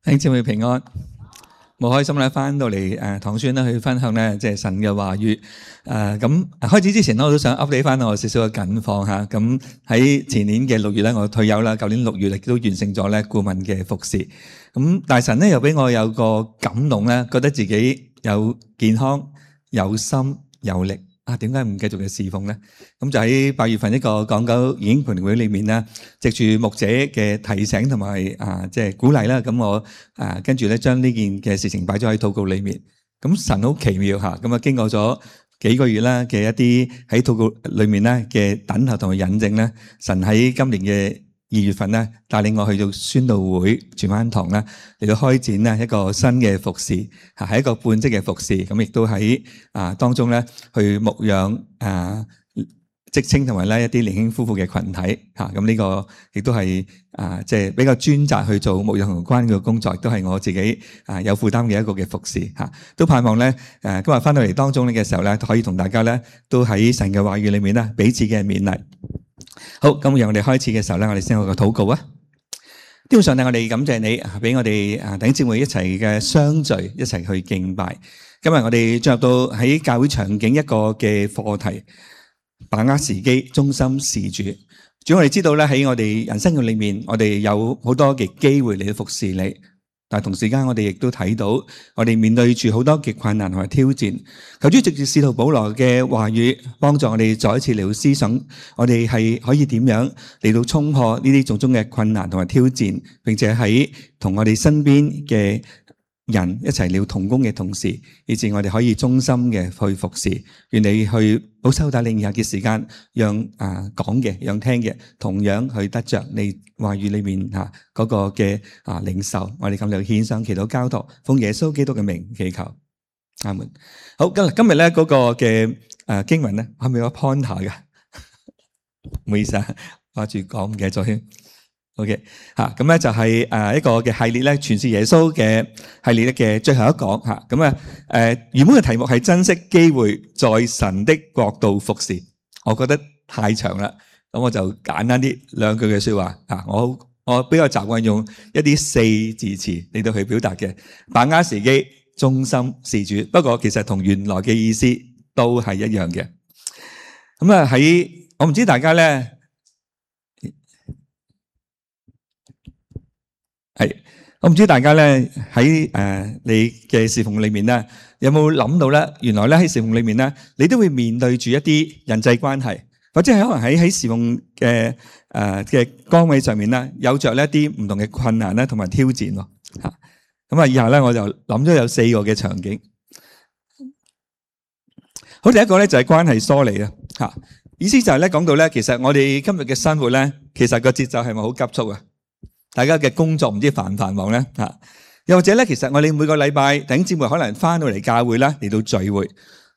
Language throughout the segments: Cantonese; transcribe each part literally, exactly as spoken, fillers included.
弟兄姊妹平安，好開心咧，翻到嚟誒堂宣咧去分享咧，即係神嘅話語。誒咁開始之前咧，我都想 update 翻我少少嘅近況嚇。咁喺前年嘅六月咧，我退休啦。舊年六月亦都完成咗咧顧問嘅服侍。咁大神咧又俾我有個感動咧，覺得自己有健康、有心、有力。啊，點解唔繼續嘅侍奉咧？咁就喺八月份一個港九研經培靈會裏面咧，藉住牧者嘅提醒同埋啊，即係鼓勵啦。咁我啊跟住咧將呢件嘅事情擺咗喺禱告裏面。咁神好奇妙嚇，咁啊經過咗幾個月啦嘅一啲喺禱告裏面咧嘅等候同埋引證咧，神喺今年嘅二月份咧帶領我去到宣道會荃灣堂咧嚟到開展咧一個新嘅服侍，嚇係一個半職嘅服侍，咁亦都喺啊當中咧去牧養啊職青同埋咧一啲年輕夫婦嘅群體嚇，咁呢個亦都係啊即係比較專責去做牧養同關嘅工作，亦都係我自己啊有負擔嘅一個嘅服侍嚇，都盼望咧誒今日翻到嚟當中嘅時候咧，可以同大家咧都喺神嘅話語裏面咧彼此嘅勉勵。好，咁讓我哋開始嘅時候咧，我哋先有個禱告啊。天父上帝，我哋感謝你，俾我哋啊弟兄姊妹一齊嘅相聚，一齊去敬拜。今日我哋進入到喺教會場景一個嘅課題，把握時機，忠心事主。主，我哋知道咧喺我哋人生嘅裏面，我哋有好多嘅機會嚟到服侍你。但係同時間，我哋亦都睇到，我哋面對住好多嘅困難同埋挑戰。求主藉住使徒保羅嘅話語，幫助我哋再一次嚟到思想，我哋係可以點樣嚟到衝破呢啲種種嘅困難同埋挑戰，並且喺同我哋身邊嘅人一齊了同工嘅同時，以致我哋可以忠心嘅去服侍。願你去保守帶領以下嘅時間，讓啊講嘅，讓聽嘅，同樣去得着你話語裏面吓嗰個嘅啊領受。我哋咁樣獻上祈禱交託，奉耶穌基督嘅名祈求，阿門。好，今日今日咧嗰個嘅誒經文咧，係咪有 pointer 嘅？唔好意思啊，掛住講唔記得咗添。OK 吓，咁咧就係誒一個嘅系列咧，傳是耶穌嘅系列嘅最後一講吓。咁啊誒原本嘅題目係珍惜機會，在神的國度服侍。我覺得太長啦，咁我就簡單啲兩句嘅說話吓。我我比較習慣用一啲四字詞嚟到去表達嘅，把握時機，忠心事主。不過其實同原來嘅意思都係一樣嘅。咁啊喺我唔知大家咧。係，我唔知大家咧喺誒你嘅侍奉裏面咧，有冇諗到咧？原來咧喺侍奉裏面咧，你都會面對住一啲人際關係，或者係可能喺喺侍奉嘅誒嘅崗位上面咧，有着呢一啲唔同嘅困難咧，同埋挑戰咯。吓，咁啊，以下咧我就諗咗有四個嘅場景。好，第一個咧就係關係疏離啊。吓，意思就係咧講到咧，其實我哋今日嘅生活咧，其實個節奏係咪好急促啊？大家嘅工作唔知繁唔繁忙咧吓，又或者咧，其實我哋每個禮拜弟兄姊妹可能翻到嚟教會啦，嚟到聚會，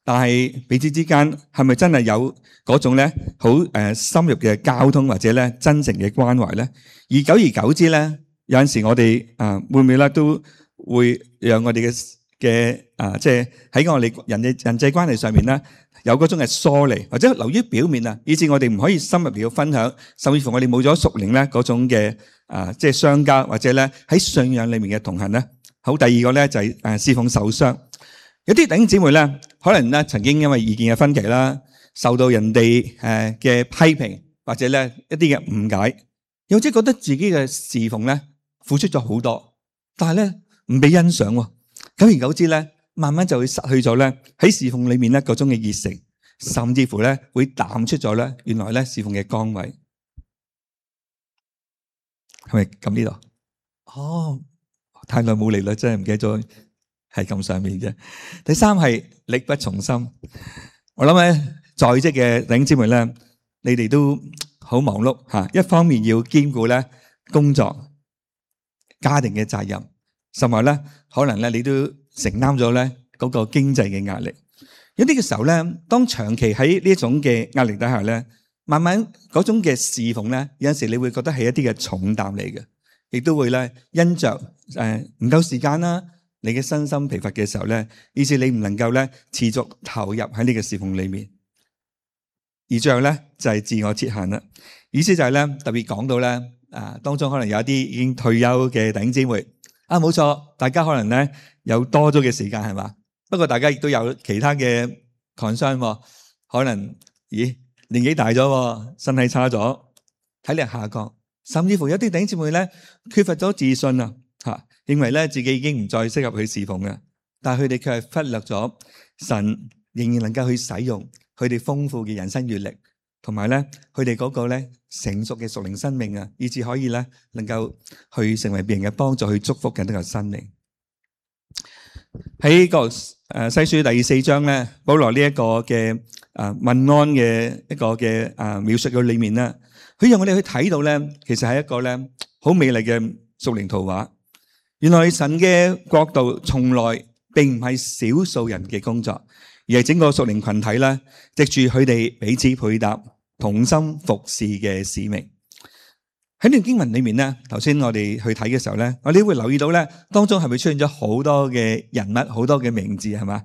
但係彼此之間係咪真係有嗰種咧好誒深入嘅交通或者咧真誠嘅關懷咧？而久而久之咧，有陣時我哋啊會唔會咧都會讓我哋嘅嘅啊即係喺我哋人嘅人際關係上面咧有嗰種嘅疏離，或者流於表面啊，以致我哋唔可以深入嚟到分享，甚至乎我哋冇咗屬靈咧嗰種嘅。啊，即係相交或者咧喺信仰裏面嘅同行咧。好，第二個咧就係誒侍奉受傷。有啲弟兄姊妹咧，可能咧曾經因為意見嘅分歧啦，受到人哋誒嘅批評，或者咧一啲嘅誤解，又或者覺得自己嘅侍奉咧付出咗好多，但係咧唔被欣賞。久而久之咧，慢慢就會失去咗咧喺侍奉裏面咧嗰種嘅熱誠，甚至乎咧會淡出咗咧原來咧侍奉嘅崗位。係咪咁呢度？哦，太耐冇嚟啦，真係唔記得咗係咁上面嘅。第三係力不從心。我諗咧，在職嘅弟兄姊妹咧，你哋都好忙碌吓。一方面要兼顧咧工作、家庭嘅責任，甚至咧可能咧你都承擔咗咧嗰個經濟嘅壓力。有啲嘅時候咧，當長期喺呢一種嘅壓力底下咧。慢慢嗰種嘅侍奉咧，有陣時你會覺得係一啲嘅重擔嚟嘅，亦都會咧因着誒唔夠時間啦，你嘅身心疲乏嘅時候咧，以致你唔能夠咧持續投入喺呢個侍奉裏面，而最後咧就係自我設限啦。意思就係咧特別講到咧啊，當中可能有一啲已經退休嘅弟兄姊妹啊，冇錯，大家可能咧有多咗嘅時間係嘛？不過大家亦都有其他嘅 concern 喎，可能咦年紀大咗，身體差咗，體力下降，甚至乎有啲弟兄姊妹咧缺乏咗自信啊，嚇，認為咧自己已經唔再適合去侍奉嘅，但係佢哋卻係忽略咗神仍然能夠去使用佢哋豐富嘅人生閲歷，同埋咧佢哋嗰個咧成熟嘅屬靈生命啊，以至可以咧能夠去成為別人嘅幫助，去祝福緊呢個生命。喺個誒西書第四章咧，保羅呢一個嘅誒問安嘅一個嘅誒描述嘅裏面咧，佢讓我哋去睇到咧，其實係一個咧好美麗嘅屬靈圖畫。原來神嘅國度從來並唔係少數人嘅工作，而係整個屬靈群體咧，藉住佢哋彼此配搭、同心服侍嘅使命。喺呢段經文裏面咧，頭先我哋去睇嘅時候咧，我哋會留意到咧，當中係咪出現咗好多嘅人物、好多嘅名字係嘛？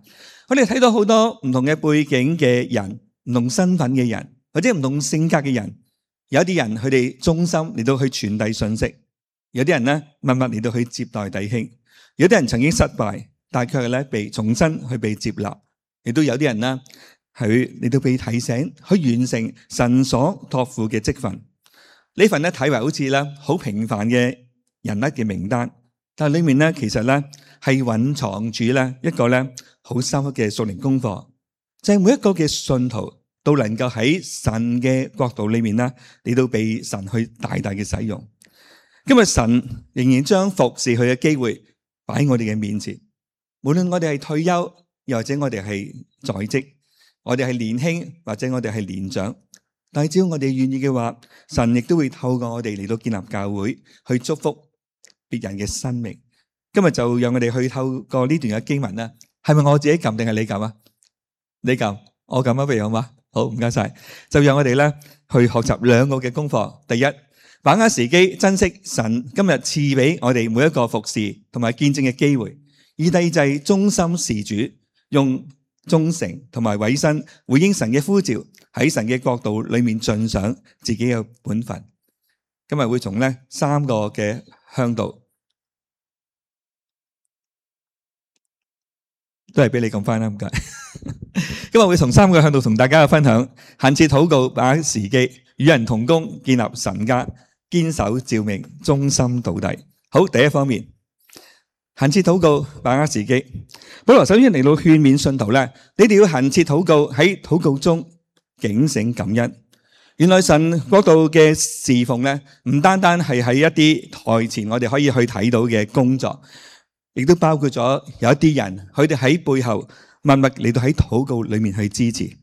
我哋睇到好多唔同嘅背景嘅人、唔同身份嘅人，或者唔同性格嘅人。有啲人佢哋忠心嚟到去傳遞信息，有啲人咧默默嚟到去接待弟兄，有啲人曾經失敗，但係卻係咧被重新去被接納，亦都有啲人咧係嚟到被提醒去完成神所託付嘅職分。呢份咧睇為好似咧好平凡嘅人物嘅名單，但係裏面咧其實咧係蘊藏住咧一個咧好深刻嘅屬靈功課，就係每一個嘅信徒都能夠喺神嘅國度裏面咧嚟到被神去大大嘅使用。今日神仍然將服侍佢嘅機會擺喺我哋嘅面前，無論我哋係退休，又或者我哋係在職，我哋係年輕或者我哋係年長。但係只要我哋願意嘅話，神亦都會透過我哋嚟到建立教會，去祝福別人嘅生命。今日就讓我哋去透過呢段嘅經文啦。係咪我自己撳定係你撳啊？你撳，我撳啊，不如好嘛？好，唔該晒。就讓我哋咧去學習兩個嘅功課。第一，把握時機，珍惜神今日賜俾我哋每一個服侍同埋見證嘅機會。而第二就係忠心事主，用忠誠同埋委身回應神嘅呼召，喺神嘅國度裏面盡上自己嘅本分。今日會從呢三個嘅向度，都係俾你咁翻啦，唔該。今日會從三個向度同大家嘅分享：懇切禱告，把握時機，與人同工，建立神家，堅守召命，忠心到底。好，第一方面。懇切禱告，把握時機。保羅首先嚟到勸勉信徒咧，你哋要懇切禱告，喺禱告中警醒感恩。原來神國度嘅侍奉咧，唔單單係喺一啲台前我哋可以去睇到嘅工作，亦都包括咗有一啲人，佢哋喺背後默默嚟到喺禱告裏面去支持。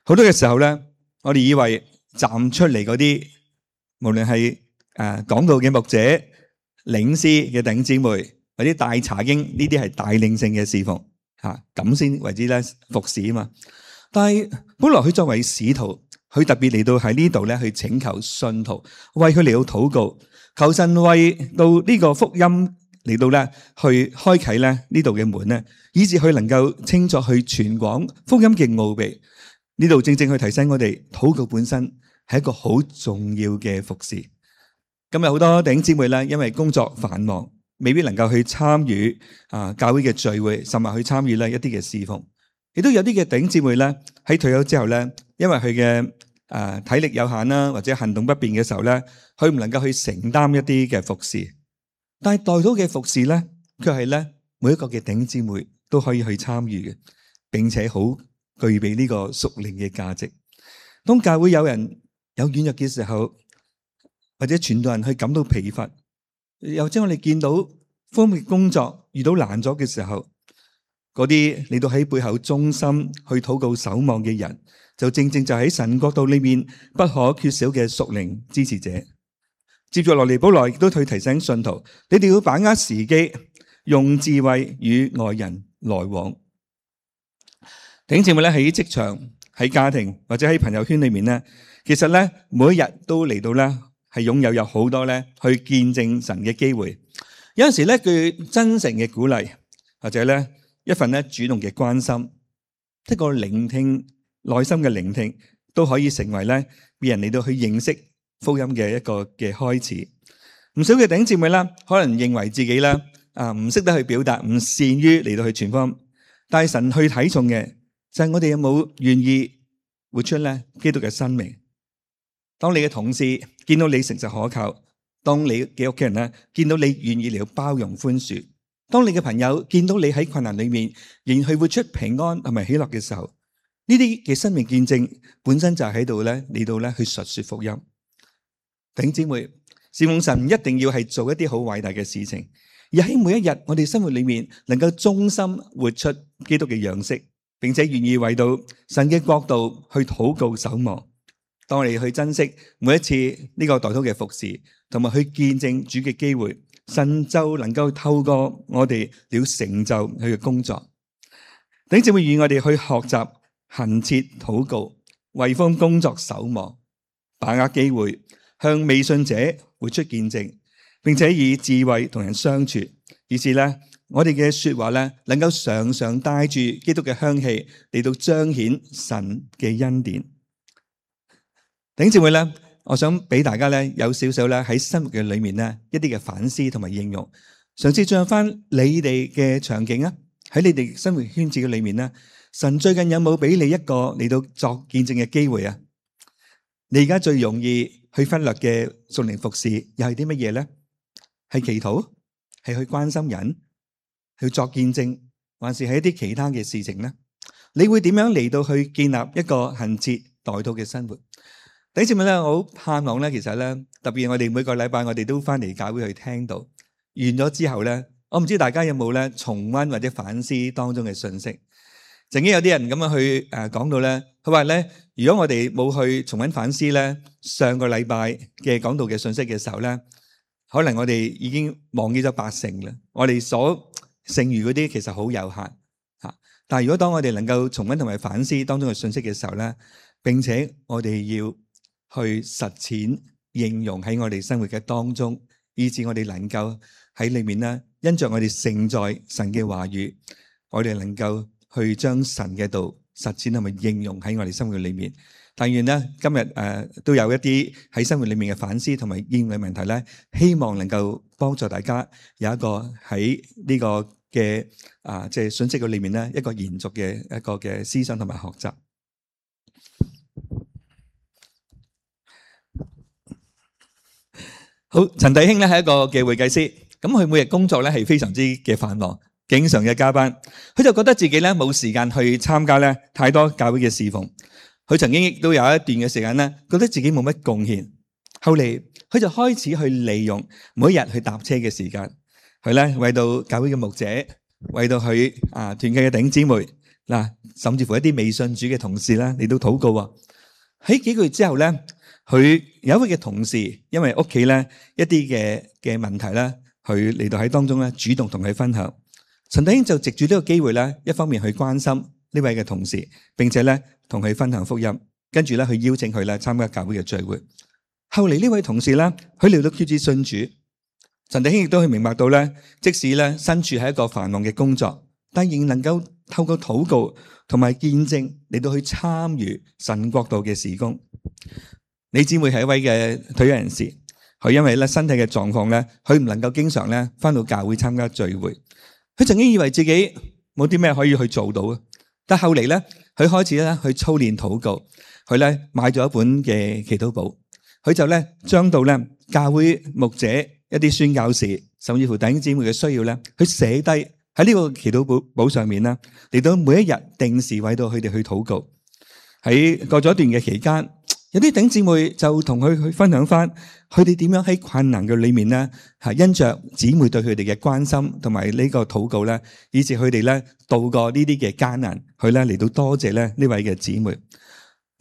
好多嘅時候咧，我哋以為站出嚟嗰啲，無論係誒講道嘅牧者、領詩嘅弟兄姊妹，或者大查經呢啲係帶領性嘅侍奉吓，咁先為之咧服侍啊嘛。但係本來佢作為使徒，佢特別嚟到喺呢度咧去請求信徒為佢嚟到禱告，求神為到呢個福音嚟到咧去開啟咧呢度嘅門咧，以致佢能夠清楚去傳廣福音嘅奧秘。呢度正正去提醒我哋，禱告本身係一個好重要嘅服侍。今日好多弟兄姊妹咧，因為工作繁忙，未必能夠去參與啊教會嘅聚會，甚至去參與咧一啲嘅侍奉。亦都有啲嘅弟兄姊妹咧喺退休之後咧，因為佢嘅誒體力有限啦，或者行動不便嘅時候咧，佢唔能夠去承擔一啲嘅服侍。但係代禱嘅服侍咧，卻係咧每一個嘅弟兄姊妹都可以去參與嘅，並且好具備呢個屬靈嘅價值。當教會有人有軟弱嘅時候，或者傳道人去感到疲乏，又將我哋見到方面工作遇到難咗嘅時候，嗰啲嚟到喺背後忠心去禱告守望嘅人，就正正就喺神國度裏面不可缺少嘅屬靈支持者。接住落嚟，保羅亦都去提醒信徒，你哋要把握時機，用智慧與外人來往。弟兄姊妹咧，喺職場、喺家庭或者喺朋友圈裏面咧，其實咧每一日都嚟到咧係擁有有好多咧去見證神嘅機會。有陣時咧，佢真誠嘅鼓勵，或者咧一份咧主動嘅關心，一個聆聽、內心嘅聆聽，都可以成為咧別人嚟到去認識福音嘅一個嘅開始。唔少嘅弟兄姊妹啦，可能認為自己啦啊唔識得去表達，唔善於嚟到去傳福音。但係神去睇重嘅就係我哋有冇願意活出咧基督嘅生命。當你嘅同事見到你誠實可靠，當你嘅屋企人咧見到你願意嚟到包容寬恕，當你嘅朋友見到你喺困難裏面仍然去活出平安同埋喜樂嘅時候，呢啲嘅生命見證本身就係喺度咧嚟到咧去述說福音。弟兄姊妹，侍奉神唔一定要係做一啲好偉大嘅事情，而喺每一日我哋生活裏面能夠忠心活出基督嘅樣式，並且願意為到神嘅國度去禱告守望。當我哋去珍惜每一次呢個代禱嘅服侍，同埋去見證主嘅機會，神就能夠透過我哋了成就佢嘅工作。弟兄姊妹，願我哋去學習恆切禱告，為福音工作守望，把握機會向未信者活出見證，並且以智慧同人相處，以致咧我哋嘅說話咧能夠常常帶住基督嘅香氣嚟到彰顯神嘅恩典。弟兄姊妹咧，我想俾大家咧有少少咧喺生活嘅裏面咧一啲嘅反思同埋應用，嘗試進入翻你哋嘅場景啊，喺你哋生活圈子嘅裏面咧，神最近有冇俾你一個嚟到作見證嘅機會啊？你而家最容易去忽略嘅屬靈服侍又係啲乜嘢咧？係祈禱，係去關心人，去作見證，還是係一啲其他嘅事情咧？你會點樣嚟到去建立一個恆切代禱嘅生活？弟兄姊妹咧，我好盼望咧，其實咧，特別我哋每個禮拜我哋都翻嚟教會去聽到，完咗之後咧，我唔知大家有冇咧重溫或者反思當中嘅信息。曾經有啲人咁樣去誒講到咧，佢話咧，如果我哋冇去重溫反思咧，上個禮拜嘅講道嘅信息嘅時候咧，可能我哋已經忘記咗八成啦。我哋所剩餘嗰啲其實好有限吓。但係如果當我哋能夠重溫同埋反思當中嘅信息嘅時候咧，並且我哋要去實踐應用喺我哋生活嘅當中，以致我哋能夠喺裏面咧，因着我哋承載神嘅話語，我哋能夠去將神嘅道實踐同埋應用喺我哋生活裏面。但願咧今日誒、呃、都有一啲喺生活裏面嘅反思同埋應用嘅問題咧，希望能夠幫助大家有一個喺呢個嘅啊即係信息嘅裏面咧一個延續嘅一個嘅思想同埋學習。好，陳弟兄咧係一個嘅會計師，咁佢每日工作咧係非常之嘅繁忙，經常嘅加班，佢就覺得自己咧冇時間去參加咧太多教會嘅侍奉。佢曾經亦都有一段嘅時間咧，覺得自己冇乜貢獻。後嚟佢就開始去利用每一日去搭車嘅時間，佢咧為到教會嘅牧者，為到佢啊團契嘅弟兄姊妹嗱，甚至乎一啲未信主嘅同事咧嚟到禱告啊。喺幾個月之後咧，佢有一位嘅同事，因為屋企咧一啲嘅嘅問題咧，佢嚟到喺當中咧主動同佢分享。陳弟兄就藉住呢個機會咧，一方面去關心呢位嘅同事，並且咧同佢分享福音，跟住咧去邀請佢咧參加教會嘅聚會。後嚟呢位同事咧，佢嚟到決志信主。陳弟兄亦都去明白到咧，即使咧身處喺一個繁忙嘅工作，但仍能夠透過禱告同埋見證嚟到去參與神國度嘅事工。李姊妹係一位嘅退休人士，佢因為咧身體嘅狀況咧，佢唔能夠經常咧翻到教會參加聚會。佢曾經以為自己冇啲咩可以去做到嘅，但後嚟咧，佢開始咧去操練禱告，佢咧買咗一本嘅祈禱簿，佢就咧將到咧教會牧者一啲宣教士，甚至乎弟兄姊妹嘅需要咧，佢寫低喺呢個祈禱簿簿上面啦，嚟到每一日定時為到佢哋去禱告。喺過咗一段嘅期間，有啲弟兄姊妹就同佢去分享翻，佢哋點樣喺困難嘅裏面咧，係因着姊妹對佢哋嘅關心同埋呢個禱告咧，以致佢哋咧度過呢啲嘅艱難，佢咧嚟到多謝咧呢位嘅姊妹。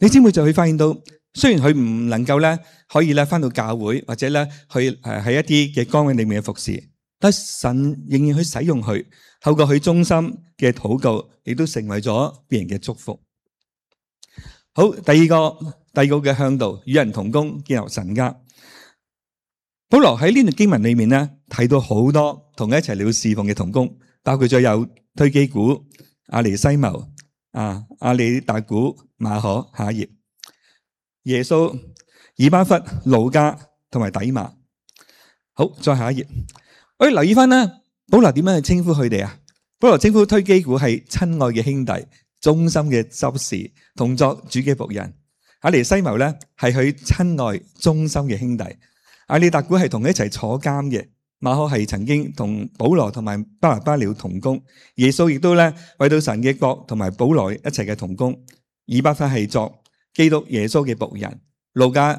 你姊妹就會發現到，雖然佢唔能夠咧可以咧翻到教會或者咧去誒喺一啲嘅崗位裏面嘅服侍，但神仍然去使用佢，透過佢忠心嘅禱告，亦都成為咗別人嘅祝福。好，第二個。第二個嘅向導，與人同工，建立神家。保羅喺呢段經文裏面咧，提到好多同佢一齊嚟侍奉嘅同工，包括咗有推基古、阿尼西謀、啊阿里達古、馬可、夏葉、耶穌、以巴弗、路加同埋底馬。好，再下一頁。我哋留意翻啦，保羅點樣去稱呼佢哋啊？保羅稱呼推基古係親愛嘅兄弟、忠心嘅執事、同作主嘅僕人。阿尼西謀咧係佢親愛忠心嘅兄弟。阿里達古係同佢一齊坐監嘅。馬可係曾經同保羅同埋巴拿巴了同工。耶穌亦都咧為到神嘅國同埋保羅一齊嘅同工。以巴弗係作基督耶穌嘅僕人。路加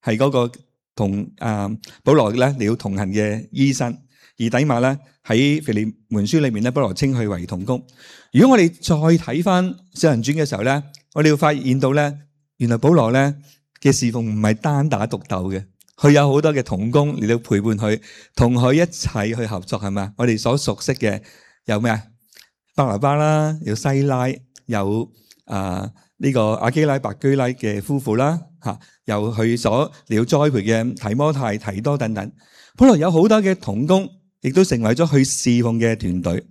係嗰個同啊保羅咧了同行嘅醫生。而底馬咧喺腓利門書裏面咧，保羅稱佢為同工。如果我哋再睇翻《使徒行傳》嘅時候咧，我哋會發現到咧，原來保羅咧嘅侍奉唔係單打獨鬥嘅，佢有好多嘅同工嚟到陪伴佢，同佢一齊去合作，係咪？我哋所熟悉嘅有咩啊？巴拿巴啦，有西拉，有啊呢個阿基拉、白居拉嘅夫婦啦，吓，有佢所了栽培嘅提摩太、提多等等。保羅有好多嘅同工，亦都成為咗佢侍奉嘅團隊。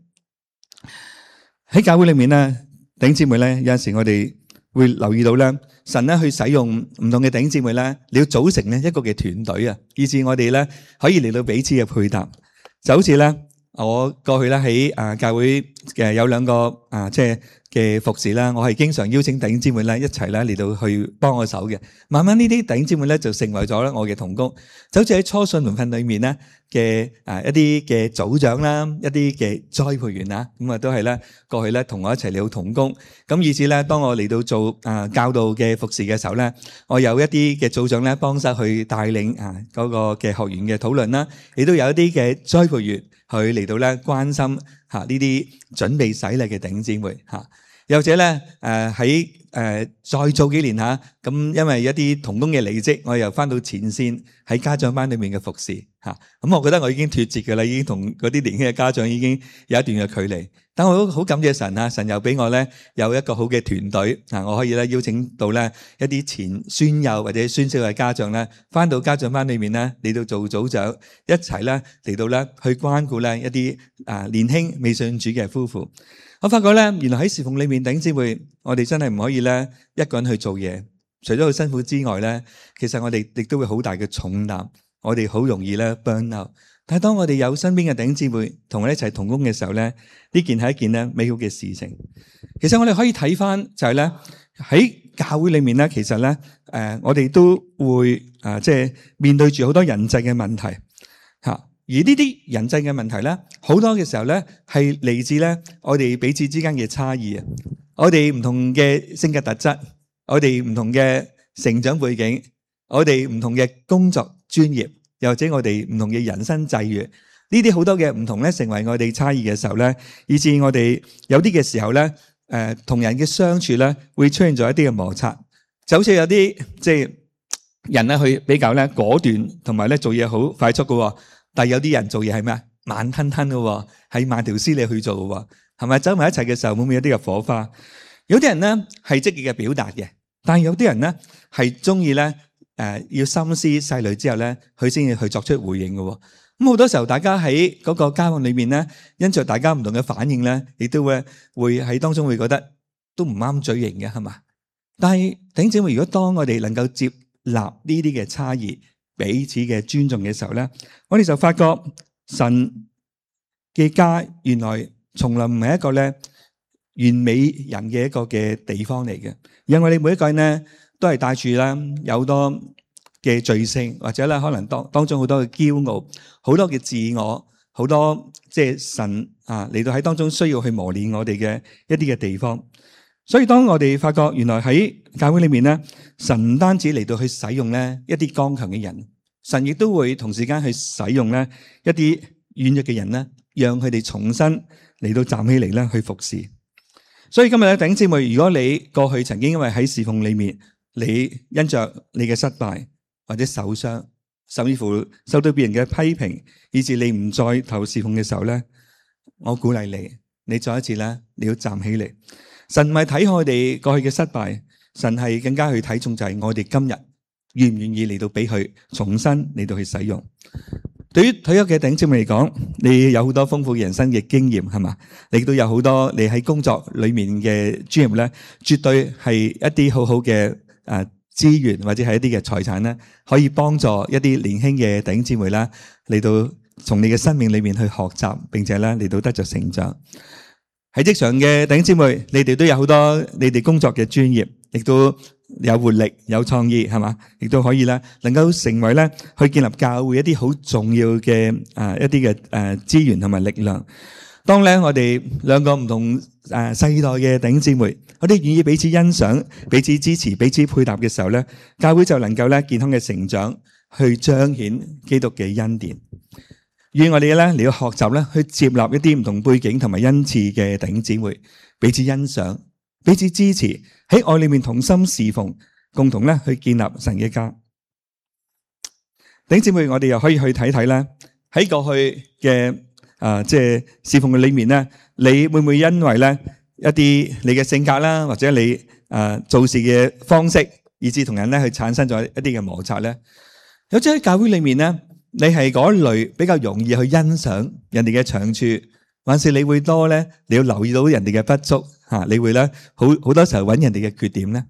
喺教會裏面咧，弟兄姊妹咧，有陣時我哋會留意到咧，神咧去使用唔同嘅弟兄姊妹咧，你要組成咧一個嘅團隊啊，以致我哋咧可以嚟到彼此嘅配搭。就好似咧，我過去咧喺啊教會嘅有兩個啊即係嘅服侍啦，我係經常邀請弟兄姊妹咧一齊咧嚟到去幫我手嘅。慢慢呢啲弟兄姊妹咧就成為咗咧我嘅同工，就好似喺初信門訓裏面咧嘅啊一啲嘅組長啦，一啲嘅栽培員啊，咁啊都係咧過去咧同我一齊嚟到同工。咁以至咧當我嚟到做啊教導嘅服侍嘅時候咧，我有一啲嘅組長咧幫手去帶領啊嗰個嘅學員嘅討論啦，亦都有一啲嘅栽培員去嚟到咧關心吓呢啲準備洗禮嘅弟兄姊妹吓。又或者咧，誒喺誒再做幾年嚇，咁因為一啲同工嘅離職，我又翻到前線喺家長班裏面嘅服侍嚇。咁我覺得我已經脫節嘅啦，已經同嗰啲年輕嘅家長已經有一段嘅距離。但我都好感謝神啊，神又俾我咧有一個好嘅團隊啊，我可以咧邀請到咧一啲前孫幼或者孫少嘅家長咧，翻到家長班裏面咧嚟到做組長，一齊咧嚟到咧去關顧咧一啲啊年輕未信主嘅夫婦。我發覺咧，原來喺侍奉裏面，弟兄姊妹，我哋真係唔可以咧一個人去做嘢。除咗好辛苦之外咧，其實我哋亦都會好大嘅重擔，我哋好容易咧 burn out。但係當我哋有身邊嘅弟兄姊妹同我哋一齊同工嘅時候咧，呢件係一件咧美好嘅事情。其實我哋可以睇翻就係咧喺教會裏面咧，其實咧誒我哋都會啊即係面對住好多人際嘅問題嚇。而呢啲人際嘅問題咧，好多嘅時候咧，係嚟自咧我哋彼此之間嘅差異啊！我哋唔同嘅性格特質，我哋唔同嘅成長背景，我哋唔同嘅工作專業，又或者我哋唔同嘅人生際遇，呢啲好多嘅唔同咧，成為我哋差異嘅時候咧，以致我哋有啲嘅時候咧，誒同人嘅相處咧，會出現咗一啲嘅摩擦，就好似有啲即係人咧，去比較咧果斷，同埋咧做嘢好快速嘅。但係有啲人做嘢係咩啊？慢吞吞嘅，係慢條斯理去做嘅，係咪？走埋一齊嘅時候會唔會有啲嘅火花？有啲人咧係積極嘅表達嘅，但係有啲人咧係中意咧誒要深思細慮之後咧，佢先至去作出回應嘅。咁好多時候，大家喺嗰個交往裏面咧，因着大家唔同嘅反應咧，亦都會會喺當中會覺得都唔啱嘴型嘅，係嘛？但係弟兄姊妹，如果當我哋能夠接納呢啲嘅差異，彼此嘅尊重嘅時候咧，我哋就發覺神嘅家原來從來唔係一個咧完美人嘅一個嘅地方嚟嘅，因為我哋每一個人咧都係帶住啦有好多嘅罪性，或者咧可能當當中好多嘅驕傲，好多嘅自我，好多即係神啊嚟到喺當中需要去磨練我哋嘅一啲嘅地方。所以當我哋發覺原來喺教會裏面咧，神唔單止嚟到去使用咧一啲剛強嘅人，神亦都會同時間去使用咧一啲軟弱嘅人咧，讓佢哋重新嚟到站起嚟咧去服侍。所以今日咧，弟兄姊妹，如果你過去曾經因為喺侍奉裏面，你因着你嘅失敗或者受傷，甚至乎受到別人嘅批評，以致你唔再投侍奉嘅時候咧，我鼓勵你，你再一次咧，你要站起嚟。神唔係睇我哋過去嘅失敗，神係更加去睇重就係我哋今日願唔願意嚟到俾佢重新嚟到去使用。對於退休嘅弟兄姊妹嚟講，你有好多豐富人生嘅經驗係嘛？你都有好多你喺工作裏面嘅專業咧，絕對係一啲好好嘅誒資源或者係一啲嘅財產咧，可以幫助一啲年輕嘅弟兄姊妹啦，嚟到從你嘅生命裏面去學習，並且咧嚟到得着成長。喺職場嘅弟兄姊妹，你哋都有好多你哋工作嘅專業，亦都有活力、有創意，係嘛？亦都可以咧，能夠成為咧去建立教會一啲好重要嘅誒一啲嘅誒資源同埋力量。當咧我哋兩個唔同誒世代嘅弟兄姊妹，我哋願意彼此欣賞、彼此支持、彼此配搭嘅時候咧，教會就能夠咧健康嘅成長，去彰顯基督嘅恩典。願我哋咧嚟到學習咧，去接納一啲唔同背景同埋恩賜嘅弟兄姊妹，彼此欣賞、彼此支持，喺愛裏面同心侍奉，共同咧去建立神嘅家。弟兄姊妹，我哋又可以去睇睇咧，喺過去嘅啊，即係侍奉嘅裏面咧，你會唔會因為咧一啲你嘅性格啦，或者你啊做事嘅方式，以致同人咧去產生咗一啲嘅摩擦咧？有啲喺教會裏面咧，你係嗰類比較容易去欣賞人哋嘅長處，還是你會多咧？你要留意到人哋嘅不足嚇，你會咧好好多時候揾人哋嘅缺點咧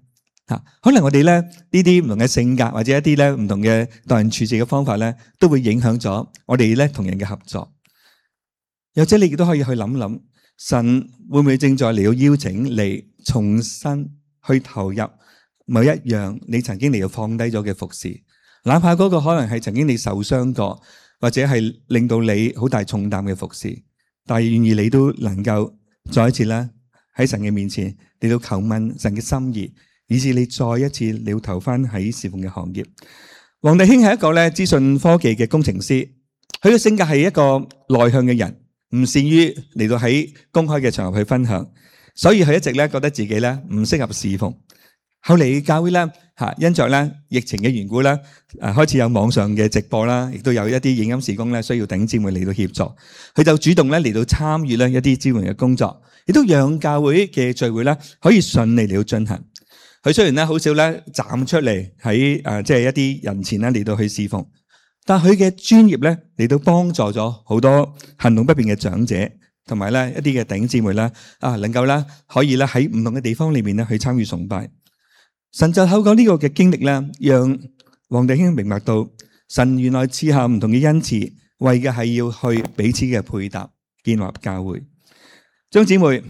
嚇。可能我哋咧呢啲唔同嘅性格，或者一啲咧唔同嘅待人處事嘅方法咧，都會影響咗我哋咧同人嘅合作。又或者你亦都可以去諗諗，神會唔會正在嚟到邀請你重新去投入某一樣你曾經嚟到放低咗嘅服侍？哪怕嗰個可能係曾經你受傷過，或者係令到你好大重擔嘅服侍，但係願意你都能夠再一次咧喺神嘅面前嚟到求問神嘅心意，以致你再一次你要投翻喺侍奉嘅行業。黃弟兄係一個咧資訊科技嘅工程師，佢嘅性格係一個內向嘅人，唔善於嚟到喺公開嘅場合去分享，所以佢一直咧覺得自己咧唔適合侍奉。後嚟教會咧嚇，因着咧疫情嘅緣故咧，誒開始有網上嘅直播啦，亦都有一啲影音事工咧需要弟兄姊妹嚟到協助，佢就主動咧嚟到參與咧一啲支援嘅工作，亦都讓教會嘅聚會咧可以順利嚟到進行。佢雖然咧好少咧站出嚟喺誒即係一啲人前咧嚟到去侍奉，但佢嘅專業咧嚟到幫助咗好多行動不便嘅長者，同埋咧一啲嘅弟兄姊妹咧啊，能夠咧可以咧喺唔同嘅地方裏面咧去參與崇拜。神就透過呢個嘅經歷咧，讓黃弟兄明白到神原來賜下唔同嘅恩賜，為嘅係要去彼此嘅配搭，建立教會。張姊妹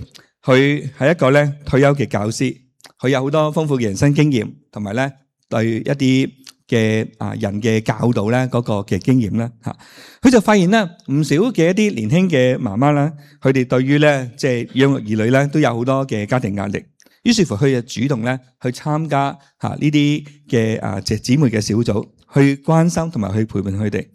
佢係一個咧退休嘅教師，佢有好多豐富嘅人生經驗，同埋咧對一啲嘅啊人嘅教導咧嗰個嘅經驗啦嚇。佢就發現咧唔少嘅一啲年輕嘅媽媽啦，佢哋對於咧即係養育兒女咧都有好多嘅家庭壓力。於是乎，佢就主動咧去參加嚇呢啲嘅啊姐姊妹嘅小組，去關心同埋去陪伴佢哋。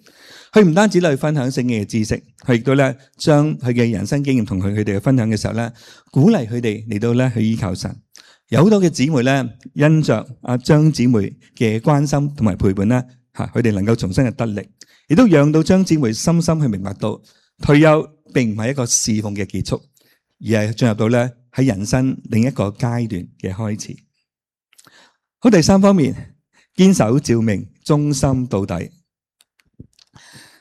佢唔單止去分享聖經嘅知識，佢亦都咧將佢嘅人生經驗同佢佢哋分享嘅時候咧，鼓勵佢哋嚟到咧去依靠神。有好多嘅姊妹咧，因着阿張姊妹嘅關心同埋陪伴咧，嚇佢哋能夠重新嘅得力，亦都讓到張姊妹深深去明白到退休並唔係一個侍奉嘅結束，而係進入到咧喺人生另一個階段嘅開始。好，第三方面，堅守召命，忠心到底。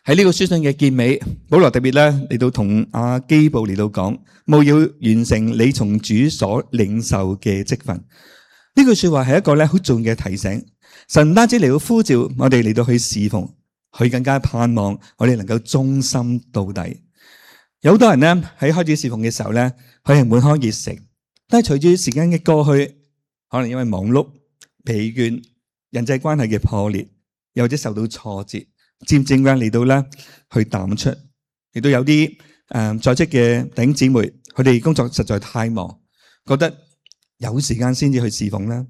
喺呢個書信嘅結尾，保羅特別咧嚟到同阿基布嚟到講，務要完成你從主所領受嘅職分。呢句說話係一個咧好重要嘅提醒。神唔單止嚟到呼召我哋嚟到去侍奉，佢更加盼望我哋能夠忠心到底。有好多人咧喺開始侍奉嘅時候咧，佢係滿腔熱誠，但係隨住時間嘅過去，可能因為忙碌、疲倦、人際關係嘅破裂，又或者受到挫折，漸漸嘅嚟到咧去淡出。亦都有啲誒、呃、在職嘅弟兄姊妹，佢哋工作實在太忙，覺得有時間先至去侍奉啦。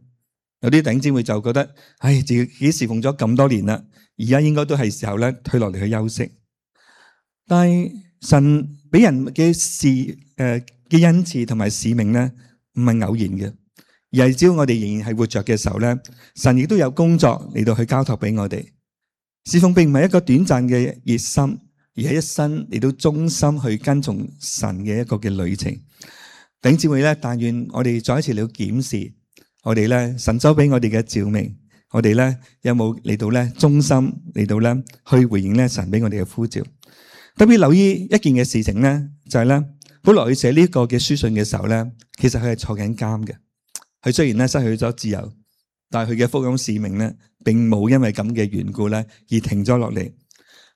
有啲弟兄姊妹就覺得，唉，自己侍奉咗咁多年啦，而家應該都係時候咧退落嚟去休息。但係神俾人嘅事誒嘅恩賜同埋使命咧，唔係偶然嘅，而係只要我哋仍然係活着嘅時候咧，神亦都有工作嚟到去交託俾我哋。侍奉並唔係一個短暫嘅熱心，而係一生嚟到忠心去跟從神嘅一個嘅旅程。弟兄姊妹咧，但願我哋再一次嚟到檢視我哋咧神所俾我哋嘅召命，我哋咧有冇嚟到咧忠心嚟到咧去回應咧神俾我哋嘅呼召。特別留意一件嘅事情咧，就係咧保羅去寫呢個嘅書信嘅時候咧，其實佢係坐緊監嘅。佢雖然咧失去咗自由，但係佢嘅福音使命咧，並冇因為咁嘅緣故咧而停咗落嚟。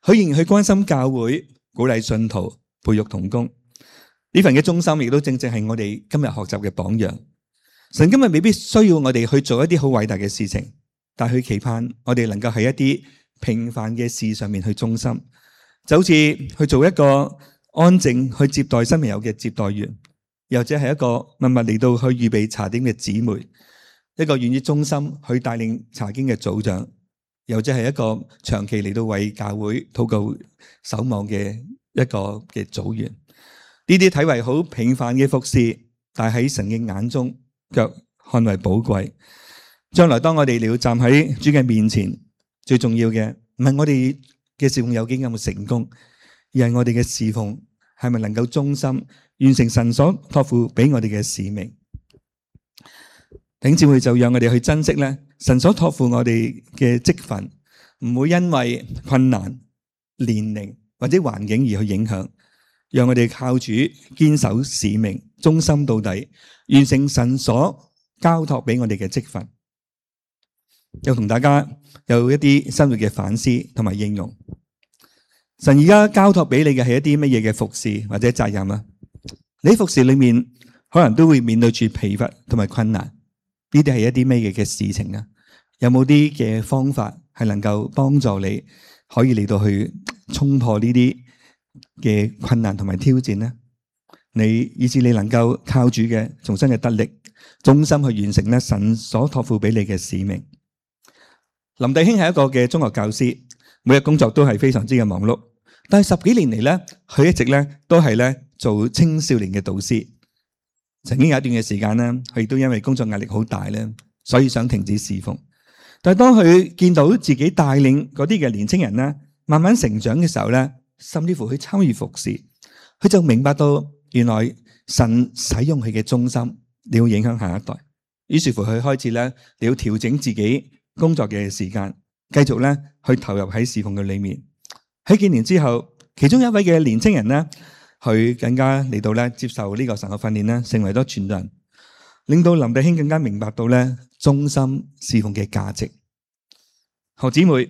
佢仍然去關心教會，鼓勵信徒，培育同工。呢份嘅忠心，亦都正正係我哋今日學習嘅榜樣。神今日未必需要我哋去做一啲好偉大嘅事情，但係佢期盼我哋能夠喺一啲平凡嘅事上面去忠心，就好似去做一個安靜去接待新朋友嘅接待員，又或者係一個默默嚟到去預備茶點嘅姊妹，一個願意忠心去帶領查經嘅組長，又或者係一個長期嚟到為教會禱告守望嘅一個嘅組員。呢啲睇為好平凡嘅服侍，但係喺神嘅眼中卻看為寶貴。將來當我哋要站喺主嘅面前，最重要嘅唔係我哋嘅侍奉有幾咁成功，而係我哋嘅侍奉係咪能夠忠心完成神所託付俾我哋嘅使命。弟兄姊妹，就讓我哋去珍惜咧，神所託付我哋嘅職分，唔會因為困難、年齡或者環境而去影響。讓我哋靠主堅守使命，忠心到底，完成神所交託俾我哋嘅職分。又同大家有一啲生活嘅反思同埋應用。神而家交託俾你嘅係一啲乜嘢嘅服侍或者責任啊？你喺服侍裏面可能都會面對住疲乏同埋困難，呢啲係一啲咩嘢嘅事情啊？有冇啲嘅方法係能夠幫助你可以嚟到去衝破呢啲嘅困難同埋挑戰呢？你以至你能夠靠主嘅重新嘅得力，忠心去完成咧神所託付俾你嘅使命。林弟兄係一個嘅中學教師，每日工作都係非常之嘅忙碌，但係十幾年嚟咧，佢一直咧都係咧做青少年嘅導師。曾經有一段嘅時間咧，佢亦都因為工作壓力好大咧，所以想停止侍奉。但係當佢見到自己帶領嗰啲嘅年青人咧，慢慢成長嘅時候咧，甚至乎去參與服侍，佢就明白到原來神使用佢嘅忠心，你要影響下一代。於是乎佢開始咧，你要調整自己工作嘅時間，繼續咧去投入喺侍奉嘅裏面。喺幾年之後，其中一位嘅年青人咧，佢更加嚟到咧接受呢個神學訓練咧，成為咗傳道人，令到林弟兄更加明白到咧忠心侍奉嘅價值。何姊妹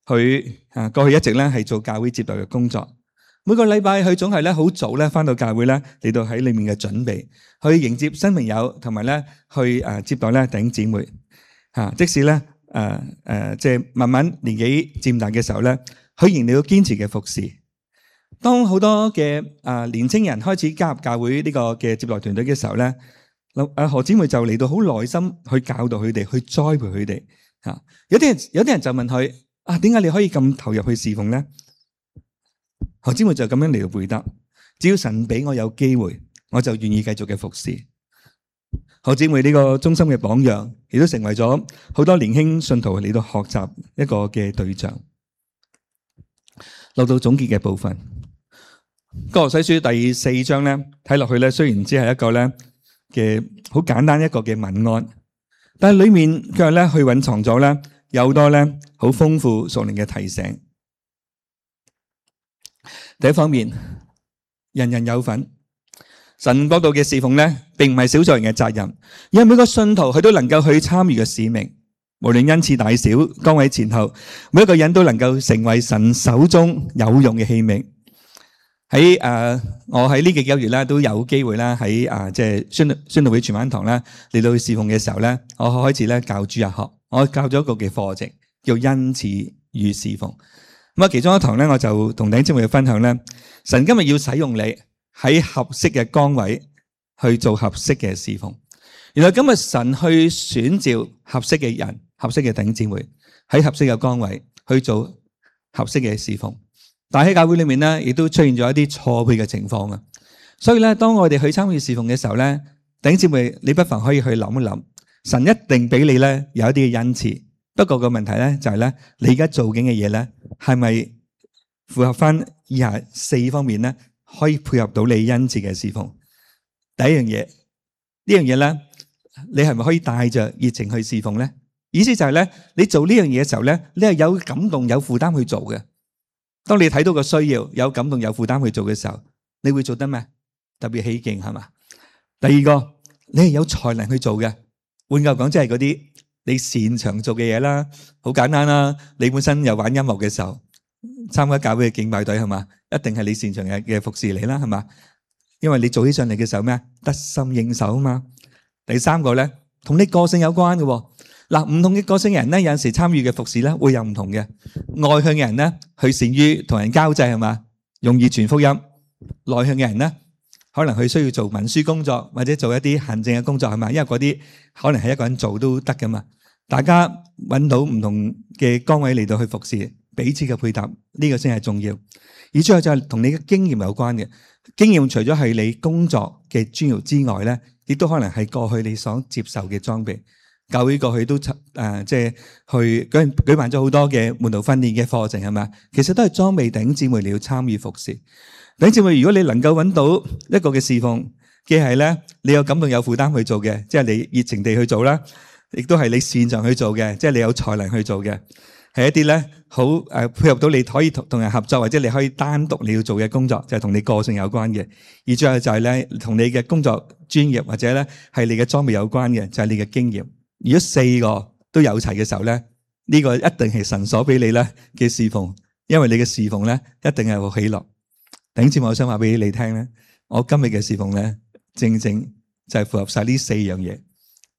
佢啊過去一直咧係做教會接待嘅工作，每個禮拜佢總係咧好早咧返到教會咧嚟到喺裏面嘅準備，去迎接新朋友，同埋咧去誒接待咧弟兄姊妹。吓，即使咧。誒誒，即係、呃呃就是、慢慢年紀漸大嘅時候咧，佢仍然要堅持嘅服侍。當好多嘅啊、呃、年青人開始加入教會呢個嘅接待團隊嘅時候咧，阿何姊妹就嚟到好耐心去教導佢哋，去栽培佢哋。吓，有啲人有啲人就問佢啊，點解你可以咁投入去侍奉咧？何姊妹就咁樣嚟到回答：只要神俾我有機會，我就願意繼續嘅服侍。何姊妹呢個忠心嘅榜樣，亦都成為咗好多年輕信徒嚟到學習一個嘅對象。落到總結嘅部分，歌羅西書第四章咧，睇落去咧，雖然只係一個咧嘅好簡單一個嘅文案，但係裏面佢咧去蘊藏咗咧有好多咧好豐富屬靈嘅提醒。第一方面，人人有份。神國度嘅侍奉咧，並唔係少數人嘅責任，而係每個信徒佢都能夠去參與嘅使命。無論恩賜大小、崗位前後，每一個人都能夠成為神手中有用嘅器皿。喺誒、呃，我喺呢幾個月咧都有機會啦，喺誒即係宣宣道會全晚堂啦嚟到去侍奉嘅時候咧，我開始咧教主日學，我教咗一個嘅課程叫恩賜與侍奉。咁啊，其中一堂咧，我就同弟兄姊妹分享咧，神今日要使用你。喺合適嘅崗位去做合適嘅侍奉。原來今日神去選召合適嘅人、合適嘅弟兄姊妹喺合適嘅崗位去做合適嘅侍奉。但喺教會裏面咧，亦都出現咗一啲錯配嘅情況啊。所以咧，當我哋去參與侍奉嘅時候咧，弟兄姊妹，你不妨可以去諗一諗，神一定俾你咧有一啲嘅恩賜。不過個問題咧就係咧，你而家做緊嘅嘢咧係咪符合翻以下四方面咧？可以配合到你恩賜嘅侍奉。第一樣嘢，呢樣嘢咧，你係咪可以帶着熱情去侍奉咧？意思就係咧，你做呢樣嘢嘅時候咧，你係有感動、有負擔去做嘅。當你睇到個需要、有感動、有負擔去做嘅時候，你會做得咩？特別起勁係嘛？第二個，你係有才能去做嘅。換句講，即係嗰啲你擅長做嘅嘢啦，好簡單啦。你本身有玩音樂嘅時候，參加教會嘅敬拜隊係嘛，一定係你擅長嘅嘅服侍嚟啦，係嘛？因為你做起上嚟嘅時候咩啊？得心應手啊嘛。第三個咧，同你個性有關嘅喎。嗱，唔同嘅個性嘅人咧，有陣時參與嘅服侍咧會有唔同嘅。外向嘅人咧，佢善於同人交際係嘛，容易傳福音。內向嘅人咧，可能佢需要做文書工作或者做一啲行政嘅工作係嘛，因為嗰啲可能係一個人做都得噶嘛。大家揾到唔同嘅崗位嚟到去服侍，彼此嘅配搭，呢個先係重要。而最後就係同你嘅經驗有關嘅。經驗除咗係你工作嘅專業之外咧，亦都可能係過去你所接受嘅裝備。教會過去都誒即係去舉舉辦咗好多嘅門徒訓練嘅課程係咪？其實都係裝備弟兄姊妹嚟要參與服侍。弟兄姊妹，如果你能夠揾到一個嘅侍奉，既係咧你有感動有負擔去做嘅，即係你熱情地去做啦，亦都係你擅長去做嘅，即係你有才能去做嘅，係一啲咧好誒配合到你可以同同人合作，或者你可以單獨你要做嘅工作，就係同你個性有關嘅。而最後就係咧同你嘅工作專業或者咧係你嘅裝備有關嘅，就係你嘅經驗。如果四個都有齊嘅時候咧，呢個一定係神所俾你咧嘅侍奉，因為你嘅侍奉咧一定係好喜樂。弟兄姊妹，我想話俾你聽咧，我今日嘅侍奉咧，正正就係符合晒呢四樣嘢。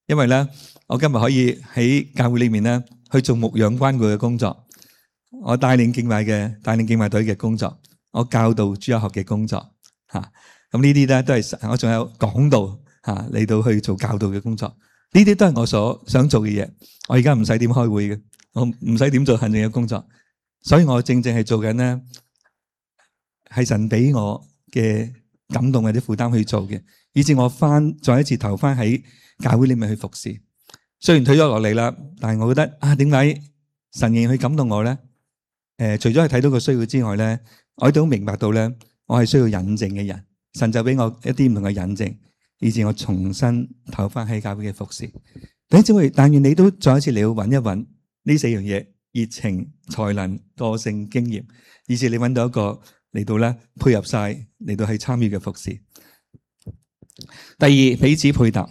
因為咧，我今日可以喺教會裏面咧去做牧養關顧嘅工作，我帶領敬拜嘅帶領敬拜隊嘅工作，我教導主日學嘅工作吓，咁呢啲咧都係我仲有講道吓嚟到去做教導嘅工作。呢啲都係我所想做嘅嘢，我而家唔使點開會嘅，我唔使點做行政嘅工作，所以我正正係做緊咧，係神俾我嘅感動或者負擔去做嘅，以至我翻再一次投翻喺教會裏面去服侍。雖然退咗落嚟啦，但係我覺得啊，點解神仍然去感動我咧？誒，除咗係睇到個需要之外咧，我亦都明白到咧，我係需要引證嘅人，神就俾我一啲唔同嘅引證。以至我重新投翻喺教會嘅服侍。弟兄姊妹，但願你都再一次嚟到揾一揾呢四樣嘢：熱情、才能、個性、經驗，以至你揾到一個嚟到咧配合晒嚟到去參與嘅服侍。第二，彼此配搭。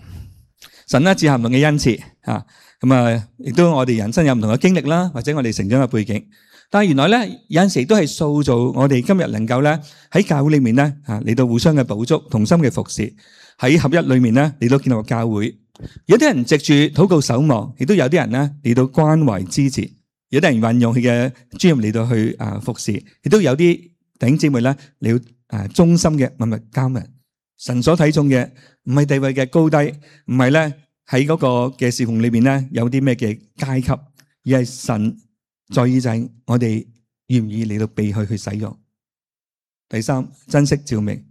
神咧賜下唔同嘅恩賜啊，咁啊，亦都我哋人生有唔同嘅經歷啦，或者我哋成長嘅背景。但係原來咧有陣時都係塑造我哋今日能夠咧喺教會裏面咧啊嚟到互相嘅補足、同心嘅服侍。喺合一裏面咧，嚟到建立教會。有啲人藉住禱告守望，亦都有啲人咧嚟到關懷支持。有啲人運用佢嘅專業嚟到去啊服侍，亦都有啲弟兄姊妹咧嚟到啊忠心嘅默默耕耘。神所睇重嘅唔係地位嘅高低，唔係咧喺嗰個嘅侍奉裏邊咧有啲咩嘅階級，而係神在意就係我哋願唔願意嚟到被佢去使用。第三，珍惜召命。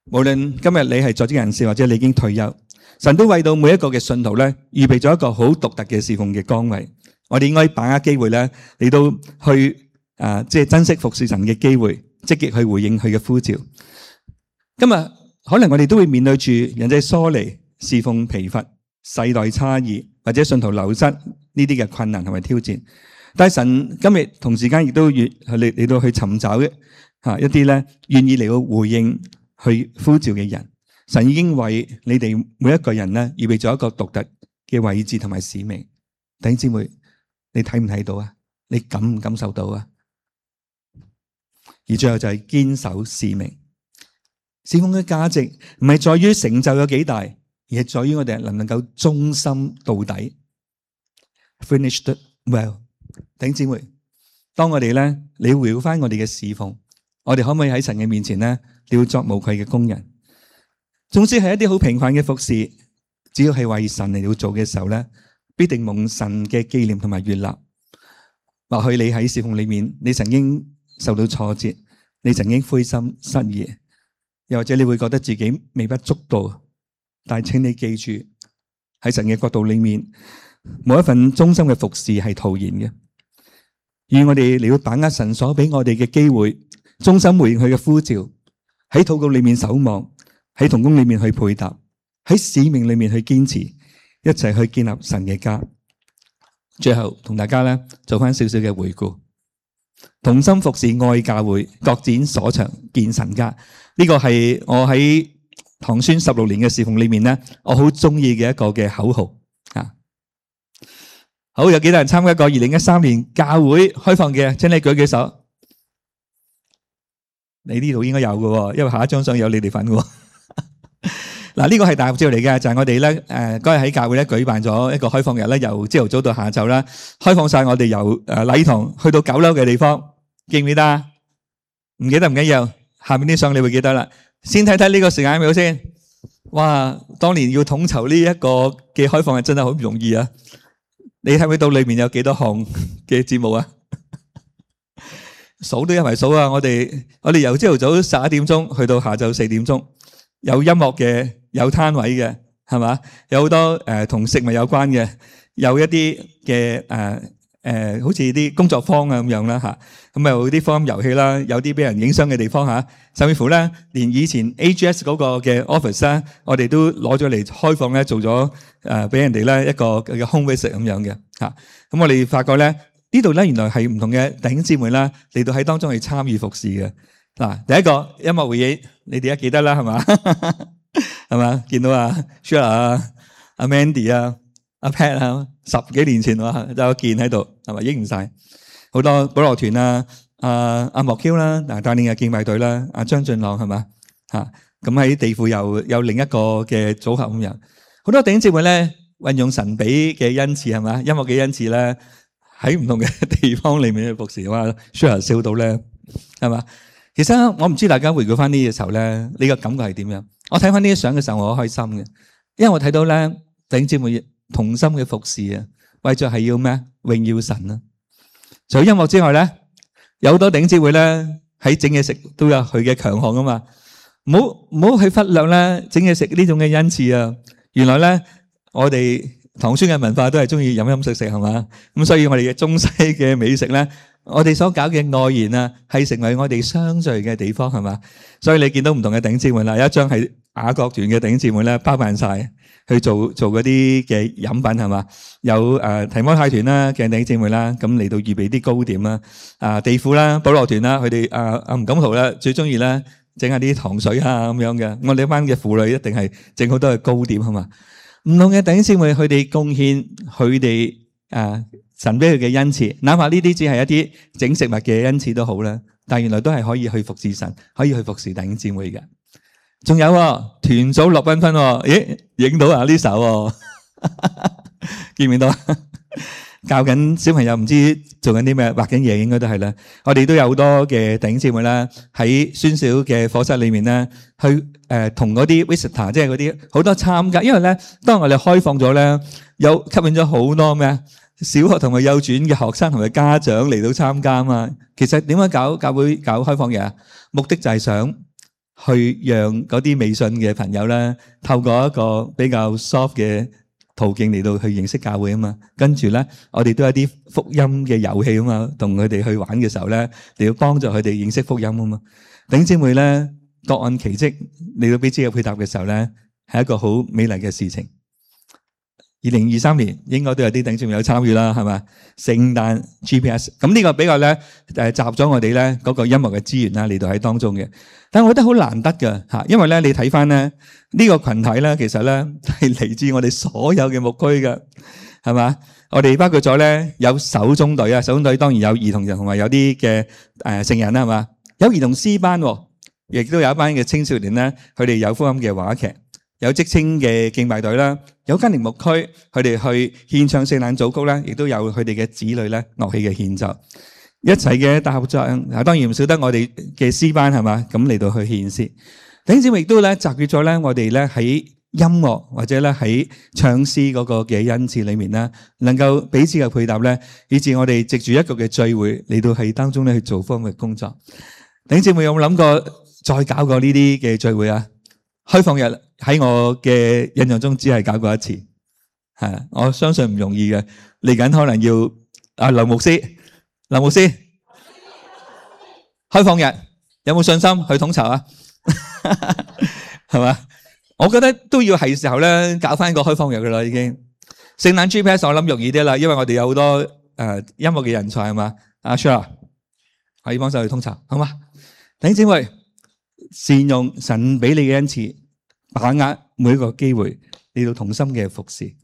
無論今日你係在職人士或者你已經退休，神都為到每一個嘅信徒咧預備咗一個好獨特嘅侍奉嘅崗位。我哋應該把握機會咧嚟到去啊，即係珍惜服侍神嘅機會，積極去回應佢嘅呼召。今日可能我哋都會面對住人際疏離、侍奉疲乏、世代差異或者信徒流失呢啲嘅困難同埋挑戰。但係神今日同時間亦都越嚟嚟到去尋找嘅吓一啲咧願意嚟到回應去呼召嘅人。神已經為你哋每一個人咧預備咗一個獨特嘅位置同埋使命。弟兄姊妹，你睇唔睇到啊？你感唔感受到啊？而最後就係堅守使命。侍奉嘅價值唔係在於成就有幾大，而係在於我哋能唔能夠忠心到底。Finished well。弟兄姊妹，當我哋咧，你回顧翻我哋嘅侍奉，我哋可唔可以喺神嘅面前咧，你要作無愧嘅工人？總之係一啲好平凡嘅服侍，只要係為神嚟到做嘅時候咧，必定蒙神嘅紀念同埋悅納。或許你喺侍奉裏面，你曾經受到挫折，你曾經灰心失意，又或者你會覺得自己微不足道，但係請你記住，喺神嘅國度裏面，冇一份忠心嘅服侍係徒然嘅。願我哋嚟到把握神所俾我哋嘅機會，忠心回應佢嘅呼召，喺禱告裏面守望，喺同工裏面去配搭，喺使命裏面去堅持，一齊去建立神嘅家。最後同大家咧做翻少少嘅回顧，同心服侍愛教會，各展所長建神家。呢個係我喺唐宣十六年嘅侍奉裏面咧，我好中意嘅一個嘅口號啊！好，有幾多人參加過二零一三年教會開放嘅？請你舉舉手。你呢度應該有嘅，因為下一張相有你哋份嘅。嗱，呢個係大合照嚟嘅，就係我哋咧誒嗰日喺教會咧舉辦咗一個開放日咧，由朝頭早到下晝啦，開放晒我哋由誒禮堂去到九樓嘅地方，記唔記得啊？唔記得唔緊要，下面啲相你會記得啦。先睇睇呢個時間表先。哇，當年要統籌呢一個嘅開放日真係好唔容易啊！你睇唔睇到裏面有幾多項嘅節目啊？數都一齊數啊！我哋我哋由朝頭早十一點鐘去到下晝四點鐘，有音樂嘅，有攤位嘅，係嘛？有好多誒同食物有關嘅，有一啲嘅誒誒，好似啲工作坊啊咁樣啦嚇。咁有啲福音遊戲啦，有啲俾人影相嘅地方嚇，甚至乎咧，連以前 A G S 嗰個嘅 office 咧，我哋都攞咗嚟開放咧，做咗誒俾人哋咧一個嘅 home visit 咁樣嘅嚇。咁我哋發覺咧。呢度咧原來係唔同嘅弟兄姊妹啦，嚟到喺當中去參與服侍嘅。嗱，第一個音樂會議，你哋一記得啦，係嘛？係嘛？見到啊 Sheila 啊、阿 Mandy 啊、阿 Pat 啊，十幾年前哇，有個見喺度，係咪？影唔晒好多保羅團啊、阿阿莫 Q 啦，嗱帶領嘅敬拜隊啦，阿張俊朗係嘛？嚇，咁喺地庫又有另一個嘅組合咁樣，好多弟兄姊妹咧運用神俾嘅恩賜係嘛？音樂嘅恩賜咧。喺唔同嘅地方裏面去服侍，哇 Sheila 笑到咧，係嘛？其實我唔知大家回顧翻呢個時候咧，你個感覺係點樣？我睇翻呢啲相嘅時候，我好開心嘅，因為我睇到咧弟兄姊妹同心嘅服侍啊，為咗係要咩？榮耀神啊！除咗音樂之外咧，有好多弟兄姊妹咧喺整嘢食都有佢嘅強項啊嘛，唔好唔好去忽略咧整嘢食呢種嘅恩賜啊！原來咧我哋。唐孫嘅文化都係中意飲飲食食係嘛，咁所以我哋嘅中西嘅美食咧，我哋所搞嘅外延啊，係成為我哋相聚嘅地方係嘛，所以你見到唔同嘅弟兄姊妹啦，有一張係雅各團嘅弟兄姊妹咧，包辦晒去做做嗰啲嘅飲品係嘛，有誒提摩太團啦嘅弟兄姊妹啦，咁嚟到預備啲糕點啦，啊地庫啦、保羅團啦，佢哋啊阿吳錦圖咧最中意咧整下啲糖水啊咁樣嘅，我哋一班嘅婦女一定係整好多嘅糕點係嘛。唔同嘅弟兄姊妹，佢哋貢獻佢哋啊神俾佢嘅恩賜，哪怕呢啲只係一啲整食物嘅恩賜都好啦。但原來都係可以去服侍神，可以去服侍弟兄姊妹嘅。仲有團組樂繽紛，咦，影到啊呢首，見唔見到？教緊小朋友唔知做緊啲咩，畫緊嘢應該都係啦。我哋都有好多嘅弟兄姊妹啦，喺宣小嘅課室裏面咧，去誒同嗰啲 visitor，即係嗰啲好多參加。因為咧，當我哋開放咗咧，有吸引咗好多咩小學同埋幼稚園嘅學生同埋家長嚟到參加啊嘛。其實點解搞教會搞開放嘅目的就係想去讓嗰啲未信嘅朋友咧，透過一個比較 soft 嘅途徑嚟到去認識教會啊嘛，跟住咧，我哋都有啲福音嘅遊戲啊嘛，同佢哋去玩嘅時候咧，嚟到幫助佢哋認識福音啊嘛。弟兄姊妹咧，各按其職嚟到彼此嘅配搭嘅時候咧，係一個好美麗嘅事情。二零二三年應該都有啲弟兄姊妹有參與啦，係嘛？聖誕 G P S， 咁呢個比較咧誒集咗我哋咧嗰個音樂嘅資源啦嚟到喺當中嘅。但係我覺得好難得㗎嚇，因為咧你睇翻咧呢個羣體咧，其實咧係嚟自我哋所有嘅牧區嘅，係嘛？我哋包括咗咧有手中隊啊，手中隊當然有兒童人同埋有啲嘅誒成人啦，係嘛？有兒童詩班，亦都有一班嘅青少年咧，佢哋有福音嘅話劇。有職青嘅敬拜隊啦，有家庭牧區，佢哋去獻唱聖誕組曲啦，亦都有佢哋嘅子女咧樂器嘅獻奏，一齊嘅大合唱。啊，當然唔少得我哋嘅詩班係嘛，咁嚟到去獻詩。弟兄姊妹亦都咧集結咗咧，我哋咧喺音樂或者咧喺唱詩嗰個嘅恩賜裏面咧，能夠彼此嘅配搭咧，以至我哋藉住一個嘅聚會嚟到喺當中咧去做福音嘅工作。弟兄姊妹有冇諗過再搞過呢啲嘅聚會啊？開放日喺我嘅印象中只係搞過一次，係我相信唔容易嘅。嚟緊可能要阿劉牧師，劉牧師開放日有冇信心去統籌啊？係嘛？我覺得都要係時候咧搞翻個開放日噶啦，已經。聖誕 G P S 我諗容易啲啦，因為我哋有好多誒音樂嘅人才係嘛。阿 Sheila 可以幫手去統籌，好嘛？弟兄姊妹，善用神俾你嘅恩賜，把握每一個機會，嚟到同心嘅服侍。